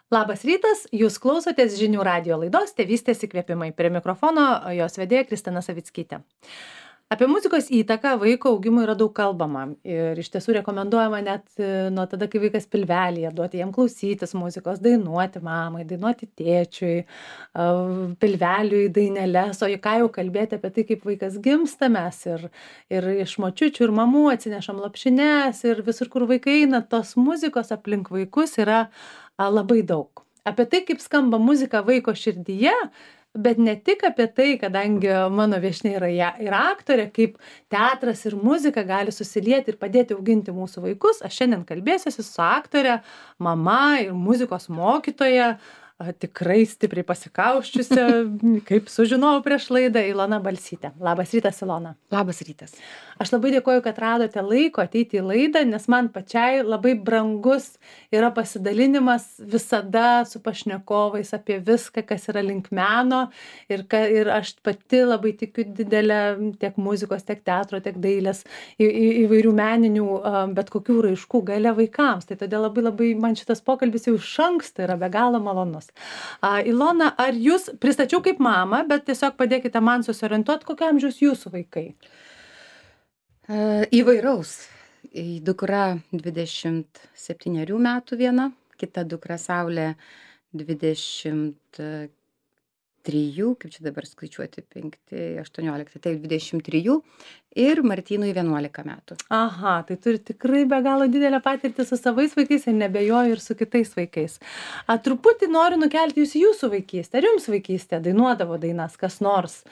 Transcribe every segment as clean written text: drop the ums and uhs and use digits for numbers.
Labas rytas, jūs klausotės žinių radijo laidos Tėvystės įkvėpimai. Prie mikrofono jos vedėja Kristina Savickytė. Apie muzikos įtaką vaiko augimui yra daug kalbama ir iš tiesų rekomenduojama net nuo tada, kai vaikas pilvelėje, duoti jam klausytis muzikos, dainuoti mamai, dainuoti tėčiui, pilveliui, daineles, o ką jau kalbėti apie tai, kaip vaikas gimsta. Mes ir iš močiučių ir mamų atsinešam lopšines ir visur, kur vaikai eina, tos muzikos aplink vaikus yra labai daug. Apie tai, kaip skamba muzika vaiko širdyje, bet ne tik apie tai, kadangi mano viešnia yra ir aktorė, kaip teatras ir muzika gali susilieti ir padėti auginti mūsų vaikus. Aš šiandien kalbėsiuosi su aktorė, mama ir muzikos mokytoja, tikrai stipriai pasikausčiusi, kaip sužinojau prieš laidą, Ilona Balsytė. Labas rytas, Ilona. Labas rytas. Aš labai dėkoju, kad radote laiko ateiti į laidą, nes man pačiai labai brangus yra pasidalinimas visada su pašnekovais apie viską, kas yra link meno ir aš pati labai tikiu didelę tiek muzikos, tiek teatro, tiek dailės, įvairių meninių, bet kokių raiškų galia vaikams. Tai todėl labai man šitas pokalbis jau iš anksto yra be galo malonus. Ilona, ar jūs pristačiau kaip mamą, bet tiesiog padėkite man susiorientuoti, kokio amžiaus jūsų vaikai? Įvairaus. Dukra 27 metų viena, kita dukra Saulė 23, kaip čia dabar skaičiuoti, 5, 18, tai 23 ir Martynui 11 metų. Aha, tai turi tikrai be galo didelę patirtį su savais vaikais ir nebejoju ir su kitais vaikais. Truputį noriu nukelti jūs į jūsų vaikystę. Ar jums vaikystė dainuodavo dainas kas nors?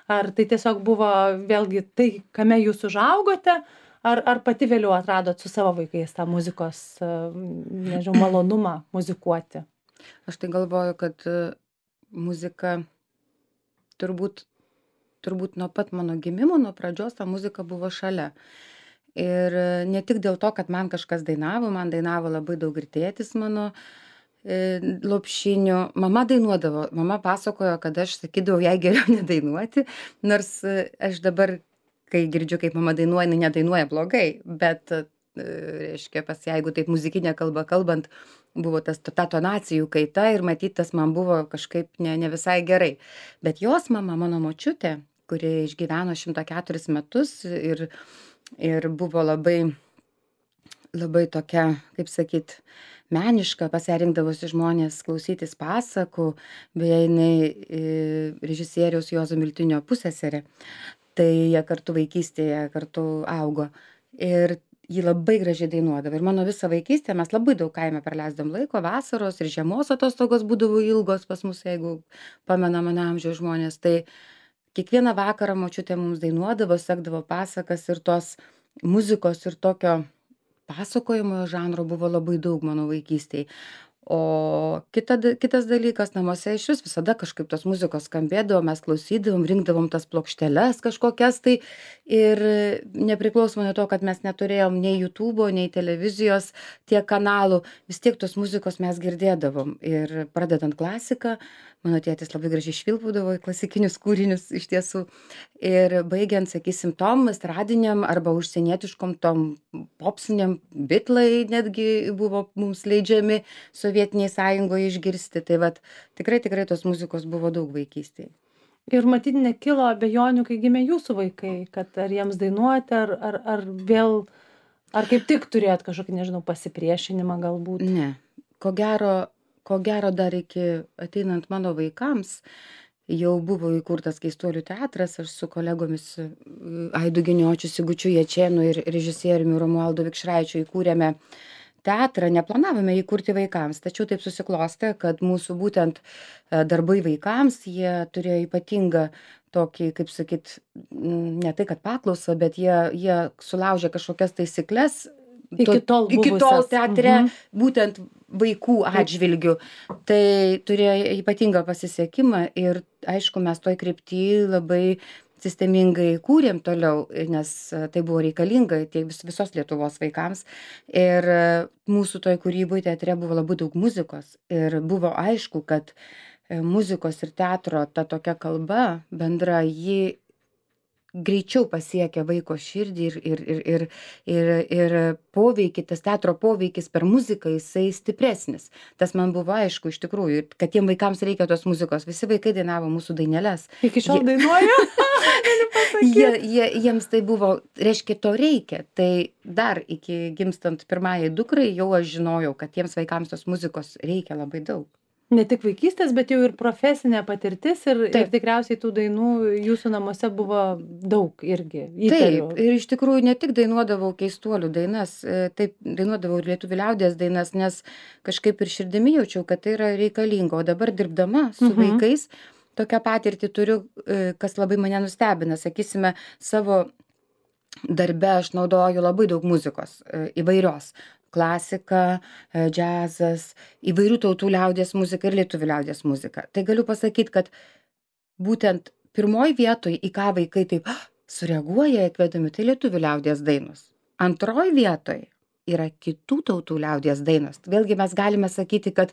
Ar tai tiesiog buvo vėlgi tai, kame jūs užaugote, ar pati vėliau atradot su savo vaikais tą muzikos, nežinau, malonumą muzikuoti? Aš tai galvoju, kad muzika turbūt nuo pat mano gimimo, nuo pradžios ta muzika buvo šalia. Ir ne tik dėl to, kad man kažkas dainavo, man dainavo labai daug ir tėtis mano lopšinių. Mama dainuodavo, mama pasakojo, kad aš sakydavau jai geriau nedainuoti, nors aš dabar, kai girdžiu, kaip mama dainuoja, jinai nedainuoja blogai, bet, reiškia, jeigu taip muzikinė kalba kalbant, buvo ta tonacijų kaita ir matyt, tas man buvo kažkaip ne visai gerai. Bet jos mama, mano močiutė, kuri išgyveno 104 metus ir buvo labai tokia, kaip sakyt, meniška, pas ją rinkdavosi žmonės klausytis pasakų, beje, jinai režisieriaus Juozo Miltinio pusseserė, tai jie kartu vaikystėje kartu augo ir ji labai gražiai dainuodavo. Ir mano visą vaikystę mes labai daug kaime praleisdavom laiko, vasaros ir žiemos atostogos būdavo ilgos pas mus, jeigu pamena mano amžiaus žmonės, tai kiekvieną vakarą močiutė mums dainuodavo, sekdavo pasakas ir tos muzikos ir tokio pasakojimo žanro buvo labai daug mano vaikystėje. O kitas dalykas, namuose iš visada kažkaip tos muzikos skambėdavo, mes klausydavom, rinkdavom tas plokšteles kažkokias tai ir nepriklausomai nuo to, kad mes neturėjom nei YouTube'o, nei televizijos tiek kanalų, vis tiek tos muzikos mes girdėdavom. Ir pradedant klasiką, mano tėtis labai gražiai švilpudavo į klasikinius kūrinius iš tiesų. Ir baigiant, sakysim, tom estradiniam arba užsienietiškom tom popsiniam, Beatlai netgi buvo mums leidžiami Sovietiniai Sąjungoje išgirsti. Tai vat, tikrai tos muzikos buvo daug vaikystėje. Ir matyt, nekilo abejonių, kai gimė jūsų vaikai, kad ar jiems dainuoti, ar vėl, ar kaip tik turėjot kažkokį, nežinau, pasipriešinimą galbūt? Ne, ko gero dar iki ateinant mano vaikams jau buvo įkurtas Keistuolių teatras, aš su kolegomis Aidu Giniočiu, Sigučiu Jačėnu ir režisieriumi Romualdu Vikšraičiu įkūrėme teatrą, neplanavome įkurti vaikams, tačiau taip susiklostė, kad mūsų būtent darbai vaikams, jie turėjo ypatingą tokį, kaip sakyt, ne tai kad paklausą, bet jie sulaužė kažkokias taisyklės Iki tol teatre, būtent vaikų atžvilgių. Tai turėjo ypatingą pasisekimą ir, aišku, mes toj krypty labai sistemingai kūrėm toliau, nes tai buvo reikalinga visos Lietuvos vaikams. Ir mūsų toj kūryboje teatre buvo labai daug muzikos. Ir buvo aišku, kad muzikos ir teatro ta tokia kalba bendra, ji greičiau pasiekia vaiko širdį ir poveikį, tas teatro poveikis per muziką, jisai stipresnis. Tas man buvo aišku iš tikrųjų, kad tiem vaikams reikia tos muzikos. Visi vaikai dainavo mūsų daineles. Iki šiol dainuoju? Jiems tai buvo, reiškia, to reikia. Tai dar iki gimstant pirmajai dukrai jau aš žinojau, kad tiems vaikams tos muzikos reikia labai daug. Ne tik vaikystės, bet jau ir profesinė patirtis ir tikriausiai tų dainų jūsų namuose buvo daug irgi. Įtariu. Taip, ir iš tikrųjų ne tik dainuodavau keistuolių dainas, taip dainuodavau ir lietuvių liaudies dainas, nes kažkaip ir širdimi jaučiau, kad tai yra reikalinga. O dabar dirbdama su vaikais, tokią patirtį turiu, kas labai mane nustebina. Sakysime, savo darbe aš naudoju labai daug muzikos įvairios. Klasika, džiazas, įvairių tautų liaudies muzika ir lietuvių liaudies muzika. Tai galiu pasakyti, kad būtent pirmoj vietoj, į ką vaikai taip sureaguoja įkvedami, tai lietuvių liaudies dainos. Antroj vietoj yra kitų tautų liaudies dainos. Vėlgi mes galime sakyti, kad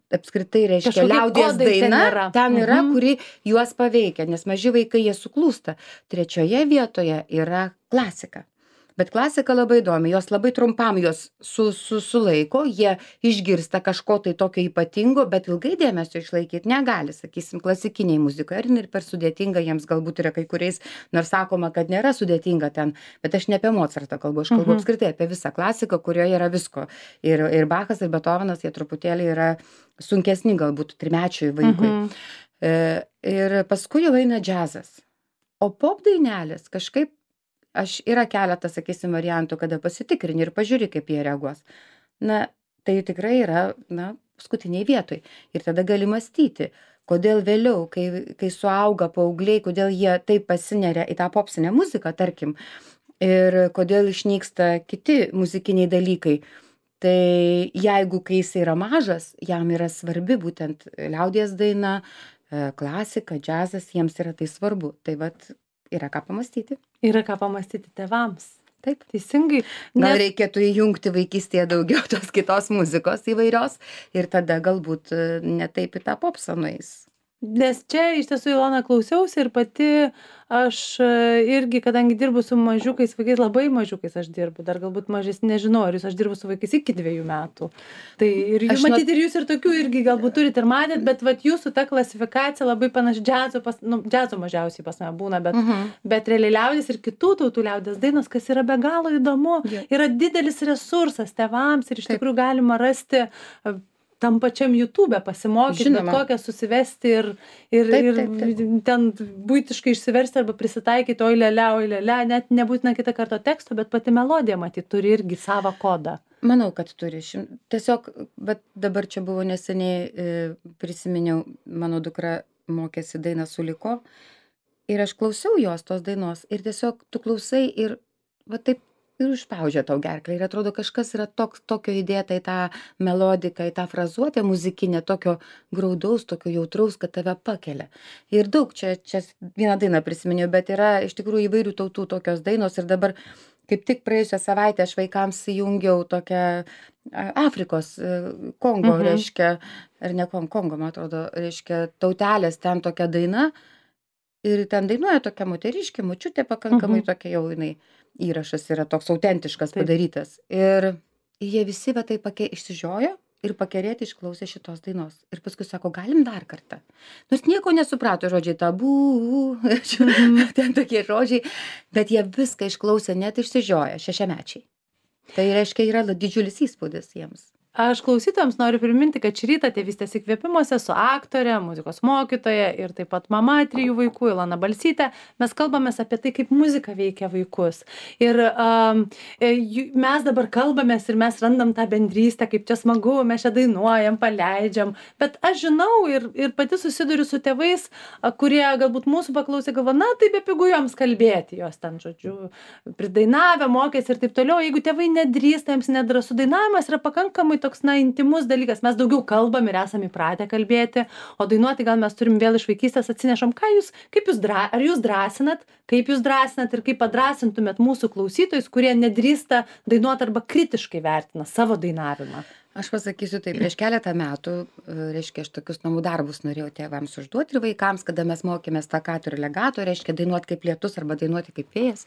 apskritai reiškia liaudies daina ten yra, kuri juos paveikia, nes maži vaikai jie suklūsta. Trečioje vietoje yra klasika. Bet klasika labai įdomi, jos labai trumpam jos sulaiko, jie išgirsta kažko tai tokio ypatingo, bet ilgai dėmesio išlaikyti negali, sakysim, klasikiniai muzikoje. Ir per sudėtinga jiems galbūt yra kai kuriais, nors sakoma, kad nėra sudėtinga ten, bet aš ne apie Mozartą kalbu, aš kalbu apskritai apie visą klasiką, kurioje yra visko. Ir Bachas, ir Beethovenas, jie truputėlį yra sunkesni galbūt trimečiui vaikui. Ir paskui jau eina džiazas. O pop dainelės kažkaip yra keletas, sakysim, variantų, kada pasitikrini ir pažiūri, kaip jie reaguos. Na, tai tikrai yra, paskutiniai vietoj. Ir tada gali mąstyti, kodėl vėliau, kai suauga paaugliai, kodėl jie taip pasineria į tą popsinę muziką, tarkim, ir kodėl išnyksta kiti muzikiniai dalykai. Tai jeigu, kai jis yra mažas, jam yra svarbi būtent liaudies daina, klasika, džiazas, jiems yra tai svarbu. Tai vat, yra ką pamastyti. Yra ką pamastyti tėvams. Taip. Teisingai. Gal reikėtų įjungti vaikystėje daugiau tos kitos muzikos įvairios ir tada galbūt ne taip į tą popsą nueis. Nes čia iš tiesų, Ilona, klausiausi ir pati aš irgi, kadangi dirbu su mažiukais vaikais, labai mažiukais aš dirbu, dar galbūt mažesni, nežinau, ar aš dirbu su vaikais iki 2 metų. Tai ir matyti ir jūs ir tokių irgi galbūt turit ir matėt, bet vat jūsų ta klasifikacija labai panaši džiazo mažiausiai pas mane būna, bet realiai liaudies ir kitų tautų liaudies dainos, kas yra be galo įdomu, yra didelis resursas tėvams ir iš tikrųjų galima rasti tam pačiam YouTube pasimokyti, bet kokią susivesti ir ten buitiškai išsiversti arba prisitaikyti oi lele, net nebūtina kitą kartą teksto, bet pati melodija, matyt, turi irgi savo kodą. Manau, kad turi. Tiesiog, bet dabar čia buvo neseniai, prisiminiau, mano dukra mokėsi dainą Suliko ir aš klausiau jos tos dainos ir tiesiog tu klausai ir va taip ir užspaudžia tau gerklę ir atrodo kažkas yra tokio įdėta į tą melodiką, į tą frazuotę muzikinę, tokio graudaus, tokio jautraus, kad tave pakelia. Ir daug čia vieną dainą prisiminiau, bet yra iš tikrųjų įvairių tautų tokios dainos ir dabar kaip tik praėjusią savaitę aš vaikams įjungiau tokią Afrikos, Kongo, reiškia, ar ne Kongo, man atrodo, reiškia, tautelės ten tokia daina ir ten dainuoja tokia moteriškė, močiutė pakankamai tokia jau jinai. Įrašas yra toks autentiškas padarytas. Ir jie visi va taip išsižiojo ir pakerėti išklausė šitos dainos. Ir paskui sako, galim dar kartą. Nors nieko nesuprato žodžiai tabų, ten tokie žodžiai, bet jie viską išklausė, net išsižioja 6-mečiai. Tai reiškia, yra didžiulis įspūdis jiems. Aš klausytojams noriu priminti, kad šį rytą Tėvystės įkvėpimuose su aktorė, muzikos mokytoja ir taip pat mama 3 vaikų, Ilona Balsytė, mes kalbamės apie tai, kaip muzika veikia vaikus. Ir mes dabar kalbamės ir mes randam tą bendrystę, kaip čia smagu, mes čia dainuojam, paleidžiam. Bet aš žinau ir pati susiduriu su tėvais, kurie galbūt mūsų paklausė, galvo, na, tai bepigu joms kalbėti, jos ten, žodžiu, pridainavę, mokėsi ir taip toliau. Jeigu tėvai nedrįsta, jiems nedrąsu, dainavimas yra pakankamai toks, intimus dalykas. Mes daugiau kalbam ir esame įpratę kalbėti, o dainuoti gal mes turim vėl iš vaikystės atsinešam. Ar jūs drąsinat, kaip jūs drąsinat ir kaip padrąsintumėt mūsų klausytojus, kurie nedrįsta dainuoti arba kritiškai vertina savo dainavimą? Aš pasakysiu tai, prieš keletą metų, reiškia, aš tokius namų darbus norėjau tėvams užduoti ir vaikams, kada mes mokėmės stakato ir legato, reiškia, dainuoti kaip lietus arba dainuoti kaip vėjas.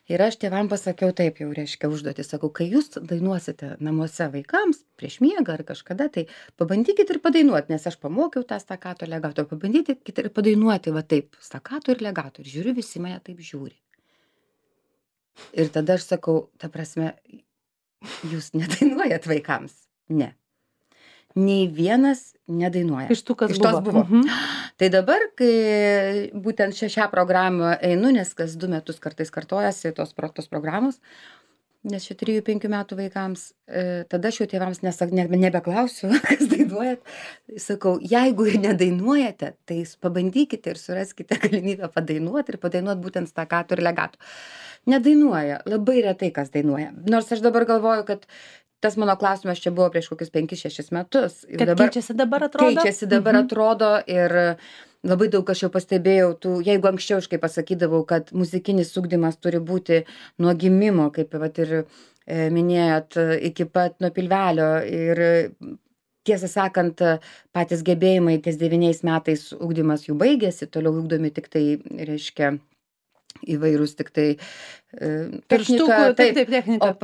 Ir aš tėvam pasakiau taip jau, reiškia, užduoti, sakau, kai jūs dainuosite namuose vaikams prieš miegą ar kažkada, tai pabandykit ir padainuoti, nes aš pamokiau tą stakato ir legato, pabandykit ir padainuoti va taip, stakato ir legato. Ir žiūriu, visi mane taip žiūri. Ir tada aš sakau, ta prasme, jūs nedainuojat vaikams. Ne. Nei vienas nedainuoja. Iš tų, kas Iš tos buvo. Tai dabar, kai būtent šią programą einu, nes kas 2 metus kartais kartojasi tos programos, nes čia 3-5 metų vaikams, tada aš jau tėvams nebeklausiu, kas dainuojat. Sakau, jeigu ir nedainuojate, tai pabandykite ir suraskite galimybę padainuoti ir padainuoti būtent stakato ir legato. Nedainuoja, labai retai kas dainuoja. Nors aš dabar galvoju, kad tas mano klausimas čia buvo prieš kokius 5-6 metus. Kad dabar, keičiasi dabar atrodo? Keičiasi dabar atrodo ir labai daug aš jau pastebėjau, jeigu anksčiau aš kaip pasakydavau, kad muzikinis ugdymas turi būti nuo gimimo, kaip vat ir minėjot, iki pat nuo pilvelio ir tiesą sakant, patys gebėjimai ties 9 metais ugdymas jų baigėsi, toliau ugdomi tik tai, reiškia, įvairūs tik tai technika, technika. O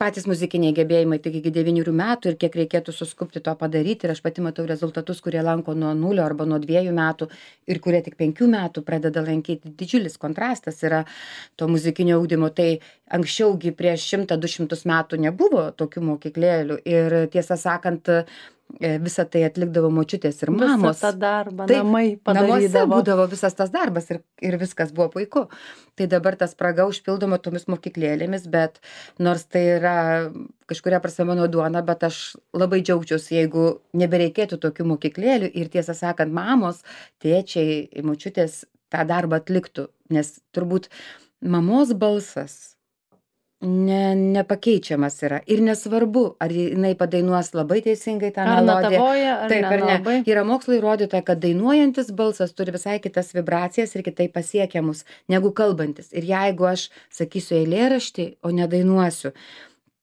patys muzikiniai gebėjimai tik iki 9 metų ir kiek reikėtų suskupti to padaryti. Ir aš pati matau rezultatus, kurie lanko nuo 0 arba nuo 2 metų ir kurie tik 5 metų pradeda lankyti. Didžiulis kontrastas yra to muzikinio ugdymo. Tai anksčiaugi prieš 100-200 metų nebuvo tokių mokyklėlių ir tiesą sakant, visą tai atlikdavo močiutės ir mamos. Visą tą darbą, namai padarydavo. Namuose būdavo visas tas darbas ir viskas buvo puiku. Tai dabar tas spraga užpildoma tomis mokyklėlėmis, bet nors tai yra kažkuria prasme mano duona, bet aš labai džiaugčiausi, jeigu nebereikėtų tokių mokyklėlių ir tiesą sakant, mamos, tėčiai, močiutės tą darbą atliktų, nes turbūt mamos balsas nepakeičiamas yra. Ir nesvarbu, ar jinai padainuos labai teisingai tą melodiją. Taip, ar ne. Yra mokslo įrodyta, kad dainuojantis balsas turi visai kitas vibracijas ir kitaip pasiekiamus negu kalbantis. Ir jeigu aš sakysiu eilėraštį, o nedainuosiu,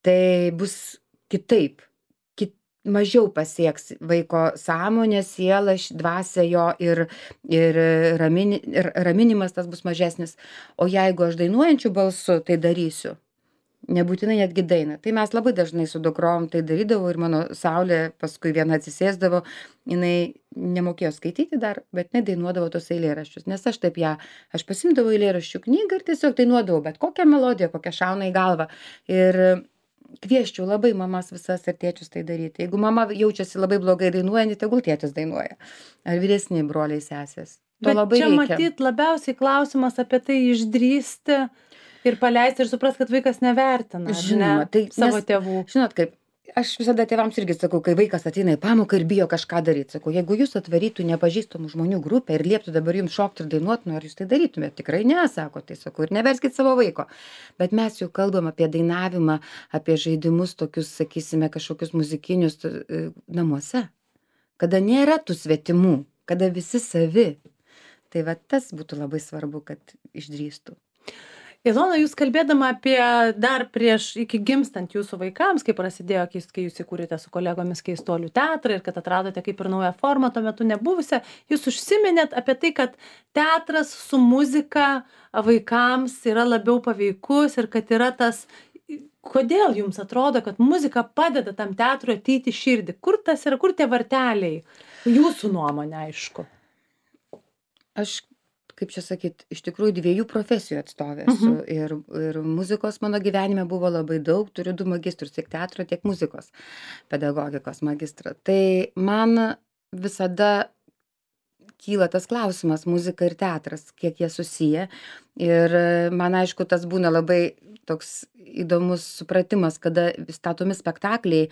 tai bus kitaip. Mažiau pasieks vaiko sąmonę, sielą, dvasią jo ir raminimas tas bus mažesnis. O jeigu aš dainuojančiu balsu tai darysiu, nebūtinai netgi dainą. Tai mes labai dažnai su dukrom tai darydavau ir mano Saulė paskui viena atsisėsdavo, jinai nemokėjo skaityti dar, bet nedainuodavo tos eilėraščius, nes aš pasimdavau eilėraščių knygą ir tiesiog dainuodavau bet kokią melodiją, kokią šauna į galvą. Ir kvieščiau labai mamas visas ir tėčius tai daryti. Jeigu mama jaučiasi labai blogai dainuojant, tegul tėtis dainuoja. Ar vyresni broliai sesės. Bet čia matyt labiausiai klausimas apie tai išdrįsti ir paleisti ir suprast, kad vaikas nevertina, žinoma, tai savo tėvų. Žinot kaip, aš visada tėvams irgi sakau, kai vaikas ateina į pamoką ir bijo kažką daryti, sakau, jeigu jūs atvarytų nepažįstamų žmonių grupę ir lieptų dabar jums šokti ir dainuoti, ar jūs tai darytumėte? Tikrai ne, sako, tai sakau, ir neverskit savo vaiko. Bet mes jau kalbam apie dainavimą, apie žaidimus tokius, sakysime, kažkokius muzikinius namuose, kada nėra tų svetimų, kada visi savi. Tai va tas būtų labai svarbu, kad išdrįstų. Ilona, jūs kalbėdama apie dar iki gimstant jūsų vaikams, kai prasidėjo, kai jūs įkūrėte su kolegomis Keistuolių teatrą ir kad atradote kaip ir naują formą tuo metu nebuvusią, jūs užsiminėt apie tai, kad teatras su muzika vaikams yra labiau paveikus ir kad yra tas, kodėl jums atrodo, kad muzika padeda tam teatrui ateiti į širdį? Kur tas yra, kur tie varteliai? Jūsų nuomonė, aišku. Aš kaip čia sakyt, iš tikrųjų 2 profesijų atstovė esu. Ir muzikos mano gyvenime buvo labai daug, turiu 2 magistrus, tiek teatro, tiek muzikos pedagogikos magistrą. Tai man visada kyla tas klausimas, muzika ir teatras, kiek jie susiję. Ir man aišku, tas būna labai toks įdomus supratimas, kada statomi spektakliai,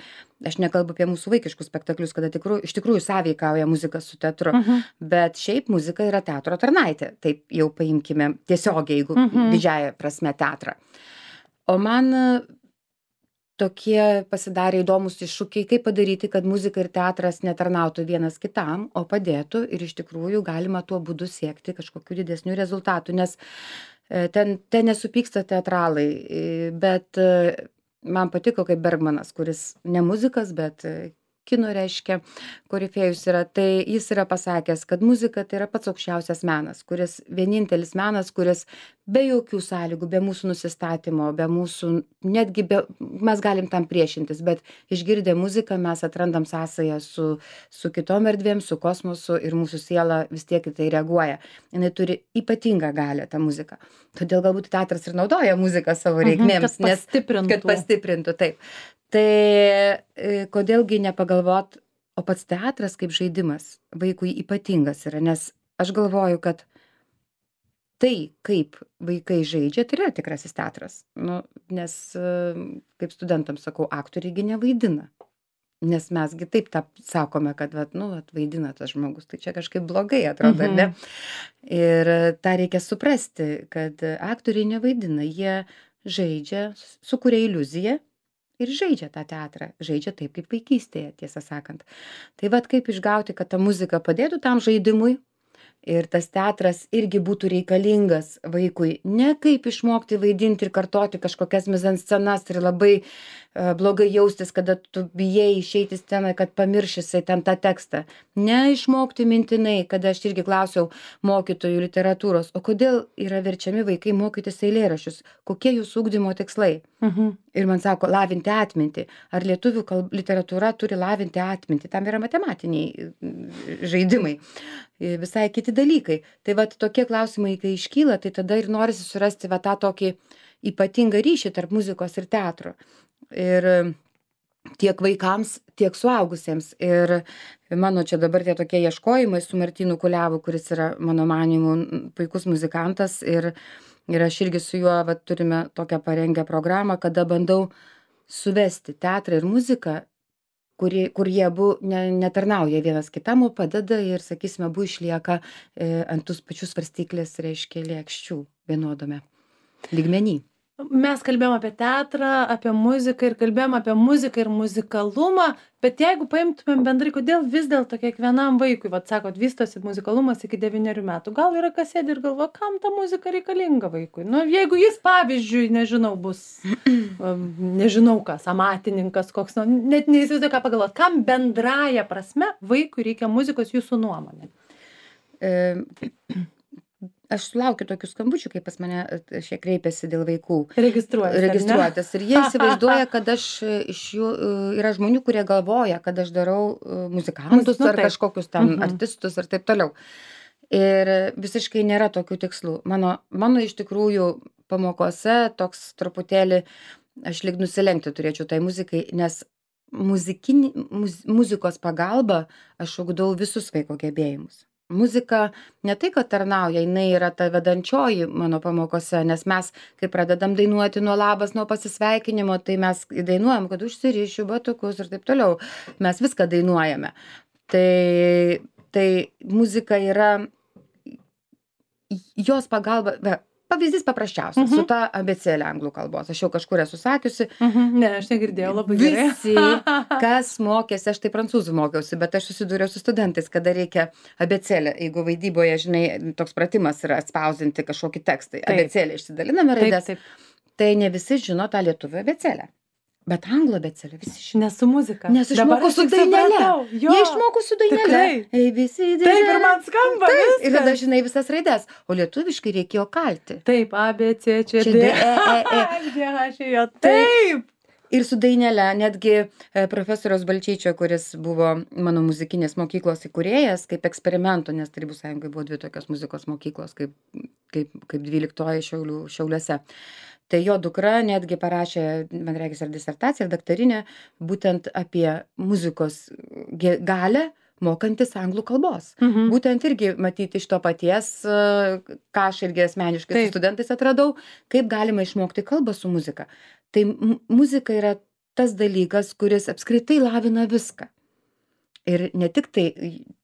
aš nekalbu apie mūsų vaikiškus spektaklius, kada iš tikrųjų sąveikauja muzika su teatru, bet šiaip muzika yra teatro tarnaitė, taip jau paimkime tiesiogiai, jeigu didžiąja prasme teatrą. O man tokie pasidarė įdomus iššūkiai, kaip padaryti, kad muzika ir teatras netarnautų vienas kitam, o padėtų ir iš tikrųjų galima tuo būdu siekti kažkokių didesnių rezultatų, nes ten nesupyksta teatralai, bet man patiko kaip Bergmanas, kuris ne muzikas, bet kino reiškia korifėjus yra, tai jis yra pasakęs, kad muzika tai yra pats aukščiausias menas, kuris vienintelis menas, kuris be jokių sąlygų, be mūsų nusistatymo, be mūsų, netgi mes galim tam priešintis, bet išgirdę muziką mes atrandam sąsają su kitom erdvėm, su kosmosu ir mūsų siela vis tiek į tai reaguoja. Jis turi ypatingą galią, tą muziką. Todėl galbūt teatras ir naudoja muziką savo reikmėms, kad pastiprintų, taip. Tai kodėlgi nepagalvot, o pats teatras kaip žaidimas vaikui ypatingas yra, nes aš galvoju, kad tai, kaip vaikai žaidžia, tai yra tikrasis teatras. Nu, nes, kaip studentams sakau, aktoriai nevaidina. Nes mesgi taip sakome, kad vaidina tas žmogus, tai čia kažkaip blogai atrodo, ne? Ir tą reikia suprasti, kad aktoriai nevaidina, jie žaidžia, sukuria iliuziją, ir žaidžia tą teatrą, žaidžia taip, kaip vaikystėje, tiesą sakant. Tai kaip išgauti, kad ta muzika padėtų tam žaidimui ir tas teatras irgi būtų reikalingas vaikui, ne kaip išmokti vaidinti ir kartoti kažkokias mizanscenas ir labai blogai jaustis, kada tu bijai išeiti sceną, kad pamiršysi ten tą tekstą. Ne išmokti mintinai, kada aš irgi klausiau mokytojų literatūros, o kodėl yra verčiami vaikai mokytis eilėraščius, kokie jūsų ugdymo tikslai. Ir man sako, lavinti atmintį. Ar lietuvių literatūra turi lavinti atmintį? Tam yra matematiniai žaidimai, visai kiti dalykai. Tai tokie klausimai, kai iškyla, tai tada ir norisi surasti tą tokį ypatingą ryšį tarp muzikos ir teatro. Ir tiek vaikams, tiek suaugusiems. Ir mano čia dabar tie tokie ieškojimai su Martynu Kuliavu, kuris yra, mano manymu, puikus muzikantas. Ir aš irgi su juo turime tokią parengę programą, kada bandau suvesti teatrą ir muziką, kur jie abu netarnauja vienas kitam, o padeda ir, sakysime, abu išlieka ant tų pačių svarstyklės, reiškia, lėkščių vienodame lygmenį. Mes kalbėjom apie teatrą, apie muziką ir kalbėjom apie muziką ir muzikalumą, bet jeigu paimtumėm bendrai, kodėl vis dėlto kiekvienam vaikui, sakot, vystosi muzikalumas iki 9 metų, gal yra kas sėdi ir galvo, kam ta muzika reikalinga vaikui? Nu, jeigu jis, pavyzdžiui, nežinau, bus, nežinau kas, amatininkas koks, net neįsivaizduoju, ką pagalvot, kam bendraja prasme vaikui reikia muzikos jūsų nuomonė? Aš sulaukiu tokių skambučių, kai pas mane šie kreipiasi dėl vaikų. Registruotis. Ir jie įsivaizduoja, kad aš iš jų, yra žmonių, kurie galvoja, kad aš darau muzikantus ar kažkokius ten artistus ir taip toliau. Ir visiškai nėra tokių tikslų. Mano iš tikrųjų pamokose toks truputėlį, aš lyg nusilenkti turėčiau tai muzikai, nes muzikos pagalba aš ugdau visus vaiko gebėjimus. Muzika ne tai, kad tarnauja, jinai yra ta vedančioji mano pamokose, nes mes, kai pradedam dainuoti nuo labas, nuo pasisveikinimo, tai mes dainuojam, kad užsirišiu batukus ir taip toliau. Mes viską dainuojame. Tai muzika yra jos pagalba. Pavyzdys paprasčiausias, su ta abėcėlė anglų kalbos. Aš jau kažkur esu sakiusi. Ne, aš negirdėjau, labai gerai. Visi, kas mokėsi, aš tai prancūzų mokiausi, bet aš susidūriau su studentais, kada reikia abėcėlę. Jeigu vaidyboje, žinai, toks pratimas yra atspausinti kažkokį tekstą. Abėcėlę išsidaliname raides. Tai ne visi žino tą lietuvių abėcėlę. Bet anglų abėcėlę visi žino. Nes su muzika. Nes išmokau su dainele. Jie išmokau su dainele. Taip, ir man skamba viskas. Ir tada žinai visas raides. O lietuviškai reikėjo kalti. Taip, A, B, C, C, D, E. Taip. Ir su dainele, netgi profesoriaus Balčyčio, kuris buvo mano muzikinės mokyklos įkūrėjas, kaip eksperimento, nes Tarybų Sąjungoje buvo 2 tokios muzikos mokyklos, kaip 12 Šiauliuose. Tai jo dukra netgi parašė, man regis, ar disertaciją, ar daktarinę, būtent apie muzikos galią mokantis anglų kalbos. Būtent irgi matyti iš to paties, ką aš irgi asmeniškai su studentais atradau, kaip galima išmokti kalbą su muzika. Tai muzika yra tas dalykas, kuris apskritai lavina viską. Ir ne tik tai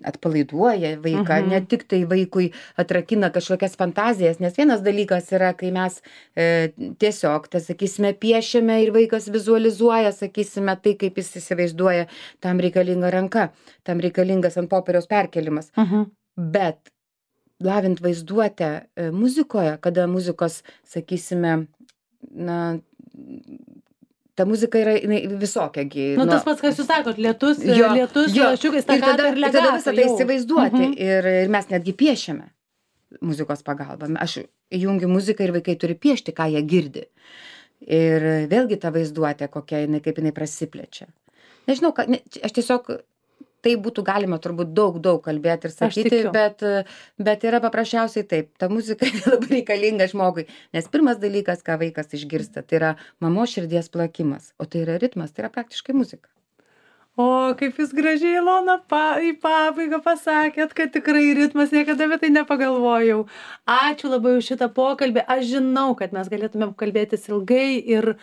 atpalaiduoja vaiką, ne tik tai vaikui atrakina kažkokias fantazijas, nes vienas dalykas yra, kai mes tiesiog, tai sakysime, piešiame ir vaikas vizualizuoja, sakysime, tai kaip jis įsivaizduoja, tam reikalinga ranka, tam reikalingas ant popieriaus perkelimas. Bet lavint vaizduotę muzikoje, kada muzikos, sakysime, ta muzika yra jinai visokia gi. Nu, tas pats, kas jūs sakot, lietus, lašiukai, ir tada legato visą tai jau. įsivaizduoti. Ir mes netgi piešiame muzikos pagalba. Aš įjungiu muziką ir vaikai turi piešti, ką jie girdi. Ir vėlgi ta vaizduotė, kokia jinai, kaip jinai prasiplečia. Nežinau, aš tiesiog, tai būtų galima turbūt daug kalbėti ir sakyti, bet yra paprasčiausiai taip, ta muzika labai reikalinga žmogui, nes pirmas dalykas, ką vaikas išgirsta, tai yra mamos širdies plakimas, o tai yra ritmas, tai yra praktiškai muzika. O, kaip jūs gražiai, Ilona, į pabaigą pasakėt, kad tikrai ritmas, niekada apie tai nepagalvojau. Ačiū labai už šitą pokalbį. Aš žinau, kad mes galėtumėm kalbėtis ilgai ir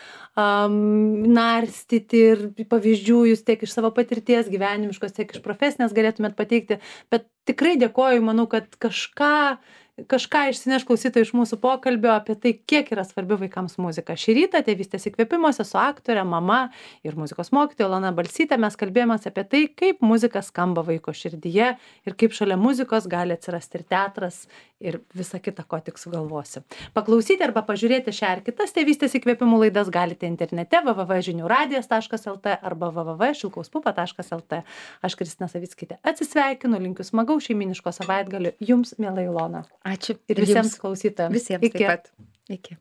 narstyti ir pavyzdžių jūs tiek iš savo patirties gyvenimiškos, tiek iš profesinės galėtumėt pateikti. Bet tikrai dėkoju, manau, kad kažką išsineš klausytojai iš mūsų pokalbio apie tai, kiek yra svarbi vaikams muzika. Šį rytą Tėvystės įkvėpimuose su aktore, mama ir muzikos mokytoja Ilona Balsytė mes kalbėjomės apie tai, kaip muzika skamba vaiko širdyje ir kaip šalia muzikos gali atsirasti ir teatras ir visa kita, ko tik sugalvosi. Paklausyti arba pažiūrėti šią ar kitas Tėvystės įkvėpimų laidas galite internete www.žiniuradijas.lt arba www.šilkauspupa.lt. Aš Kristina Savickytė atsisveikinu, linkiu smagaus šeimyniško savaitgalio jums, miela Ilona. Ačiū. Ir visiems klausytojams. Visiems taip pat. Iki.